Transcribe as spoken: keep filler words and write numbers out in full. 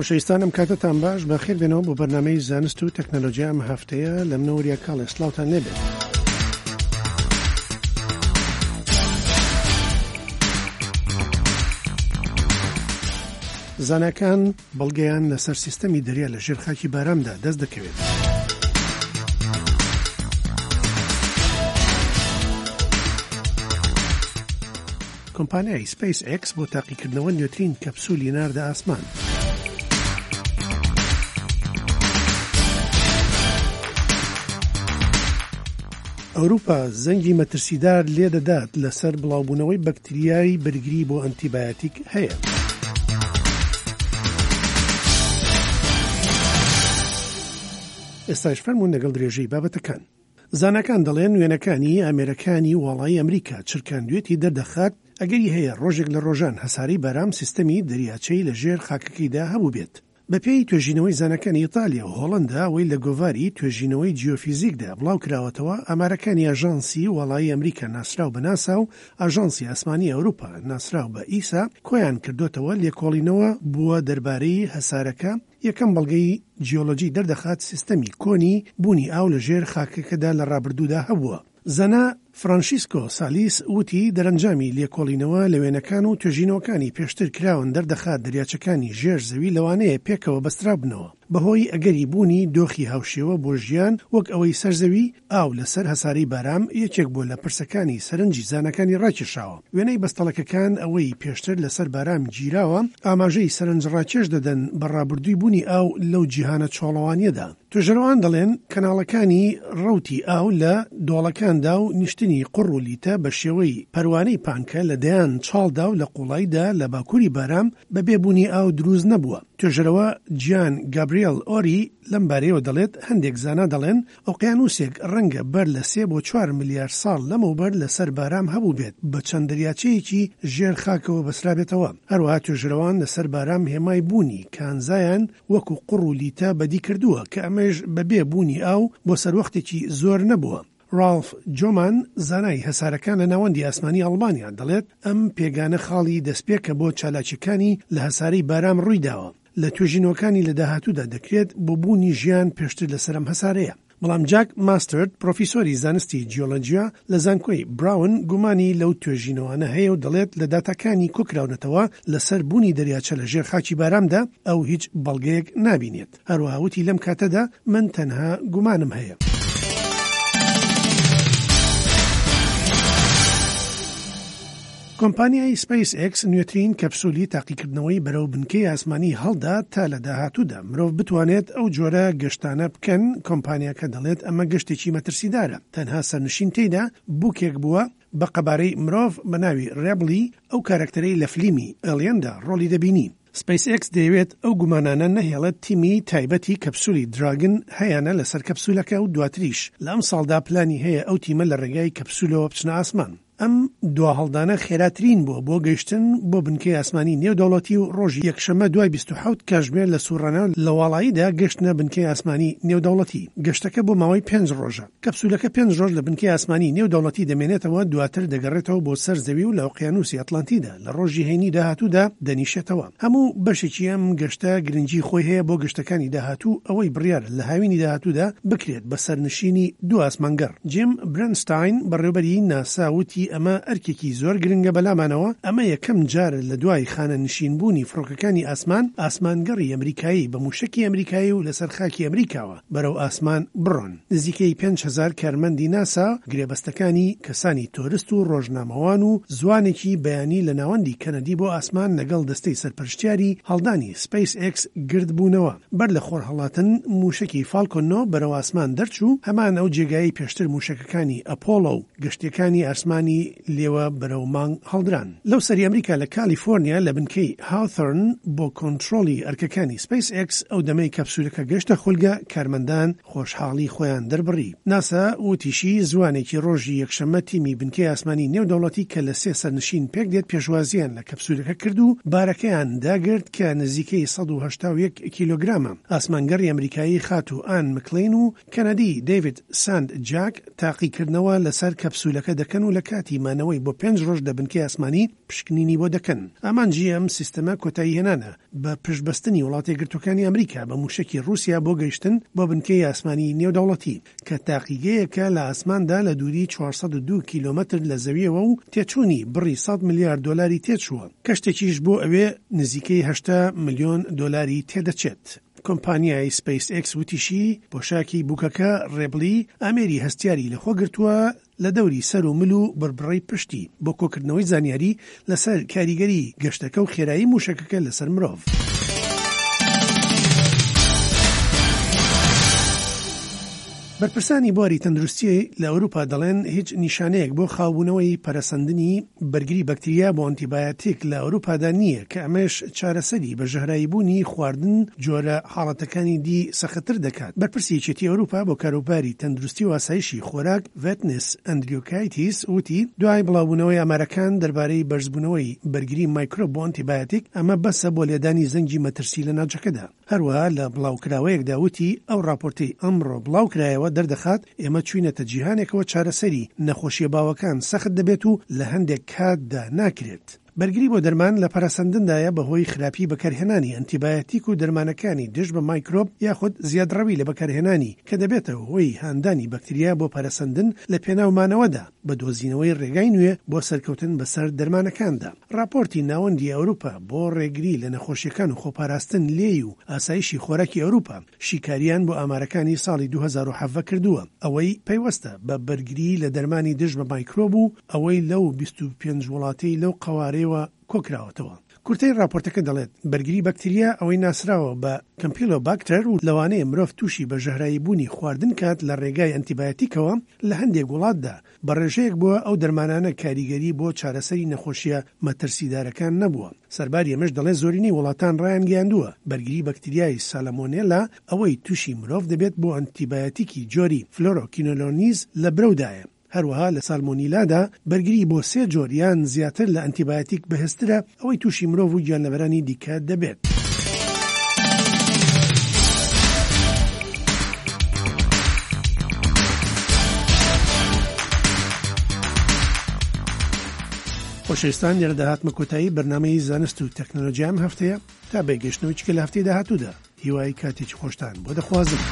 خۆشەویستان، ئەم کاتەتان باش، بەخێر بێنەوە بۆ بەرنامەی زانست و تەکنەلۆژیا. ئەم هەفتەیە لە منەوە وریا کاڵێ، سڵاوتان لێبێت. زاناکان بەڵگەیان لەسەر سیستەمی دەریا لە ژێر خاکی بارامدا دەست دەکەوێت. کۆمپانیای سپەیس ئێکس بۆ تاقیکردنەوە نوێترین کەپسولی ناردە ئاسمان. ئەوروپا زەنگی مەترسیدار لێدەدات لەسەر بڵاوبوونەوەی بەکتریای بەرگری بۆ ئەنتیبایۆتیک هەیە. ئێستاش فەرموون لەگەڵ درێژەی بابەتەکان. زاناکان دەڵێن وێنەکانی ئامێرەکانی واڵایی ئەمریکا چرکاندوێتی دەردەخات ئەگەری هەیە ڕۆژێک لە ڕۆژان هەسارەی بارام سیستەمی دەریاچەی لە ژێر خاکەکەیدا هەبوو بێت. بەپێی توێژینەوەی زاناکانی ئیتالیا و هۆڵندا، ئەوەی لە گۆڤاری توێژینەوەی جیۆفیزیکدا بڵاو کراوەتەوە، ئامارەکانی ئاژانسی واڵایی ئەمریکا ناسراو بە ناسا و ئاژانسی ئاسمانی ئەوروپا ناسراو بە ئیسا کۆیان کردوتەوە لێکۆڵینەوە بووە دەربارەی هەسارەکە. یەکەم بەڵگەی جیۆلۆجی دەردەخات سیستەمی کۆنی بوونی ئاو لە ژێر خاکەکەدا لە ڕابردوودا هەبووە. زانا فرانشیسکۆ سالیس وتی دەرەنجامی لێکۆڵینەوە لە وێنەکان و توێژینەوەکانی پێشتر کراون دەردەخات دەریاچەکانی ژێر زەوی لەوانەیە پێکەوە بەسترابنەوە بەهۆی ئەگەری بوونی دۆخی هاوشێوە بۆ ژیان وەک ئەوەی سەرزەوی. ئاو لەسەر هەسارەی بارام یەکێک بۆ لە پرسەکانی سەرنجی زانەکانی ڕاکێشاوە. وێنەی بەستەڵەکەکان ئەوەی پێشتر لەسەر بارام گیراوە ئاماژەی سەرنج ڕاکێش دەدەن بە ڕابردووی بوونی ئاو لەو جیهانە چۆڵەوانیەدا. توێژەرەوان دەڵێن کەناڵەکانی ڕەوتی ئاو لە دۆڵەکاندا و نیشتنی قوڕ و لیتە بە شێوەی پەروانەی پانکە لە دەیان چاڵدا و لە قوڵاییدا لە باکووری بارام بەبێ بوونی ئاو دروست نەبووە. توێژەرەوە جیان گابریێل ئۆری لەم بارەیەوە دەڵێت هەندێک زانا دەڵێن ئۆقیانوسێک ڕەنگە بەر لە سێ بۆ چوار ملیار ساڵ لەمەوبەر لەسەر بارام هەبوو بێت بە چەند دەریاچەیەکی ژێر خاکەوە بەسرابێتەوە. هەروەها توێژەرەوان لەسەر بارام هێمای بوونی کانزایان وەکو قوڕ و لیتە بەدی کردووە کە ئەمەش بەبێ بوونی ئاو بۆ سەروەختێکی زۆر نەبووە. ڕالف جۆمان زانای هەسارەکان لە ناوەندی ئاسمانی ئەڵمانیا دەڵێت ئەم پێگانە خاڵی دەستپێکە بۆ چالاکیەکانی لە هەسارەی بارام ڕوویداوە. لە توێژینەوەکانی لە داهاتوودا دەکرێت بۆ بوونی ژیان پێشتر لەسەر ئەم هەسارەیە. بەڵام جاک ماستەرد پرۆفیسۆری زانستی جیۆلۆجیا لە زانکۆی براون گومانی لەو توێژینەوانە هەیە و دەڵێت لە داتاکانی کۆکراونەتەوە لەسەر بوونی دەریاچە لە ژێر خاکی بارامدا ئەو هیچ بەڵگەیەک نابینێت. هەروەها وتی لەم کاتەدا من تەنها گومانم هەیە. کۆمپانیای سپەیس ئێکس نوێترین کەپسولی تاقیکردنەوەی بەرەو بنکەی ئاسمانی هەڵدا تا لە داهاتوودا مرۆڤ بتوانێت ئەو جۆرە گەشتانە بکەن. کۆمپانیاکە دەڵێت ئەمە گەشتێکی مەترسیدارە، تەنها سەرنشین تێیدا بووکێک بووە بە قەبارەی مرۆڤ بە ناوی ڕێبلی، ئەو کارەکتەرەی لە فلیمی ئێلیەندا ڕۆڵی دەبینی. سپەیس ئێکس دەیەوێت ئەو گومانانە نەهێڵێت تیمی تایبەتی کەپسولی دراگن هەیانە لەسەر کەپسولەکە و دواتریش لە ئەم ساڵدا پلانی هەیە ئەو تیمە لە ڕێگای کەپسولەوە بچنە ئاسمان. ئەم دواهەڵدانە خێراترین بووە بۆ گەیشتن بۆ بنکەی ئاسمانی نێودەوڵەتی و ڕۆژی یەکشەممە دوای بیست و حەوت کاتژمێر لە سوڕانە لە واڵاییدا گەشتنە بنکەی ئاسمانی نێودەوڵەتی. گەشتەکە بۆ ماوەی پێنج ڕۆژە. کەپسولەکە پێنج ڕۆژ لە بنکەی ئاسمانی نێودەوڵەتی دەمێنێتەوە، دواتر دەگەڕێتەوە بۆ سەر زەوی و لە ئۆقیانوسی ئەتلانتیدا لە ڕۆژی هەینی داهاتوودا دەنیشێتەوە. هەموو بەشێکی ئەم گەشتە گرنگی خۆی هەیە بۆ گەشتەکانی داهاتوو، ئەوەی بڕیارە لە هاوینی داهاتوودا بکرێت بە سەرنشینی دوو ئاسمانگەڕ. جیم برنستاین بەڕێوبەری ناسا وتی ئەمە ئەرکێکی زۆر گرنگە بەلامانەوە، ئەمە یەکەم جار لە دوای خانەنشینبوونی فڕۆکەکانی ئاسمان ئاسمانگەڕی ئەمریکایی بە موشەکی ئەمریکایی و لەسەر خاکی ئەمریکاوە بەرەو ئاسمان بڕۆن. نزیکەی پێنج هەزار کارمەندی ناسا گرێبەستەکانی کەسانی تۆرست و ڕۆژنامەوان و زوانێکی بەیانی لە ناوەندی کەنەدی بۆ ئاسمان لەگەڵ دەستەی سەرپەرشتیاری هەڵدانی سپەیس ئێکس گردبوونەوە. بەر لە خۆرهەڵاتن موشەکی فالکۆن نۆ بەرەو ئاسمان دەرچوو، هەمان ئەو جێگایەی پێشتر موشەکەکانی ئەپۆڵۆ و گەشتیەکانی ئاسمانی لێوە بەرەو مانگ هەڵدران. لەو سەری ئەمریکا لە کالیفۆرنیا لە بنکەی هاوثۆرن بۆ کۆنترۆڵی ئەرکەکانی سپەیس ئێکس ئەو دەمەی کەپسولەکە گەشتە خولگە کارمەندان خۆشحاڵی خۆیان دەربڕی. ناسا وتیشی زوانێکی ڕۆژی یەکشەممە تیمی بنکەی ئاسمانی نێودەوڵەتی کە لە سێ سەرنشین پێک دێت پێشوازیان لە کەپسولەکە کرد و بارەکەیان داگرت کە نزیکەی سەد و هەشتا و یەک کیلۆگرامە. ئاسمانگەڕی ئەمریکایی خاتوو ئان مکلین و کەنەدی دەیڤید ساند جاک تاقیکردنەوە لەسەر کەپسولەکە دەکەن و لە کاتی کاتی مانەوەی بۆ پێنج ڕۆژ لە بنکەی ئاسمانی پشکنینی بۆ دەکەن. ئامانجی ئەم سیستەمە کۆتایی هێنانە بە پشتبەستنی وڵاتە یەکگرتووەکانی ئەمریکا بە موشەکی ڕووسیا بۆ گەیشتن بۆ بنکەی ئاسمانی نێودەوڵەتی کە تاقیگەیەکە لە ئاسماندا لە دووری چوار سەد و دوو کیلۆمەتر لە زەویەوە و تێچوونی بڕی سەد ملیار دۆلاری تێچووە. کەشتێکیش بۆ ئەوێ نزیکەی هەشتا ملیۆن دۆلاری تێدەچێت. کۆمپانیای سپەیس ئێکس وتیشی پۆشاکی بووکەکە ڕێبڵی ئامێری هەستیاری لەخۆ گرتووە لە دەوری سەر و مل و بڕبڕەی پشتی بۆ کۆکردنەوەی زانیاری لەسەر کاریگەری گەشتەکە و خێرایی موشەکەکە لەسەر مرۆڤ. بەرپرسانی بواری تەندروستی لە ئەوروپا دەڵێن هیچ نیشانەیەک بۆ خاوبوونەوەی پەرەسەندنی بەرگری بەکتریا بۆ ئەنتیبایۆتیک لە ئەوروپادا نییە کە ئەمەش چارەسەری بە ژەهراییبوونی خواردن جۆرە حاڵەتەکانی دی سەختتر دەکات. بەرپرسی یەکێتی ئەوروپا بۆ کاروباری تەندروستی و ئاسایشی خۆراک ڤێتنس ئەندریوکایتیس وتی دوای بڵاوبوونەوەی ئامارەکان دەربارەی بەرزبوونەوەی بەرگری مایکرۆب بۆ ئەنتیبایۆتیک ئەمە بەسە بۆ لێدانی زەنگی مەترسی لە ناوچەکەدا. هەروەها لە بڵاوکراوەیەکدا وتی ئەو راپۆرتەی ئەمڕۆ بڵاوکرایەوە دەردەخات ئێمە چوینەتە جیهانێکەوە چارەسەری نەخۆشیە باوەکان سەخت دەبێت و لە هەندێک کاتدا ناکرێت. بەرگری بۆ دەرمان لە پەرەسەندندایە بەهۆی خراپی بەکارهێنانی ئەنتیبایۆتیک و دەرمانەکانی دژ بە مایکرۆب یاخود زیادڕەوی لە بەکارهێنانی کە دەبێتە هۆی هاندانی بەکتریا بۆ پەرەسەندن لە پێناومانەوەدا بە دۆزینەوەی ڕێگای نوێ بۆ سەرکەوتن بەسەر دەرمانەکاندا. راپۆرتی ناوەندی ئەوروپا بۆ ڕێگری لە نەخۆشیەکان و خۆپاراستن لێی و ئاسایشی خۆراکی ئەوروپا شیکاریان بۆ ئامارەکانی ساڵی دوو هەزار و حەڤدە کردووە، ئەوەی پەیوەستە بە بەرگری لە دەرمانی دژ بە مایکرۆب و ئەوەی لەو بیست و پێنج وڵاتەی لەو قەوارەیەوە کۆکراوەتەوە. کورتەی راپۆرتەکە دەڵێت بەرگری بەکتریا ئەوەی ناسراوە بە کەمپیلۆباکتەر و لەوانەیە مرۆڤ تووشی بە ژەهراییبوونی خواردن کات لە ڕێگای ئەنتیبایۆتیکەوە لە هەندێک وڵاتدا بە ڕێژەیەک بووە ئەو دەرمانانە کاریگەری بۆ چارەسەری نەخۆشیە مەترسیدارەکان نەبووە. سەرباری ئەمەش دەڵێت زۆرینەی وڵاتان ڕایانگەیاندووە بەرگری بەکتریای سالمۆنێلا ئەوەی تووشی مرۆڤ دەبێت بۆ ئەنتیبایۆتیکی جۆری فلۆرۆکینۆلۆنیز لە برەودایە. هەروەها لە سالمۆنیلادا بەرگری بۆ سێ جۆر یان زیاتر لە ئەنتیبایۆتیک بەهێزترە ئەوەی تووشی مرۆڤ و گیانلەبەرانی دیکە دەبێت. خۆشەویستان، لێرە داهاتمە کۆتایی بەرنامەی زانست و تەکنەلۆژیا ئەم هەفتەیە تا بەگەشتنەوەی چکە لە هەفتەی داهاتوودا. هیوای کاتێکی خۆشتان بۆ دەخوازم.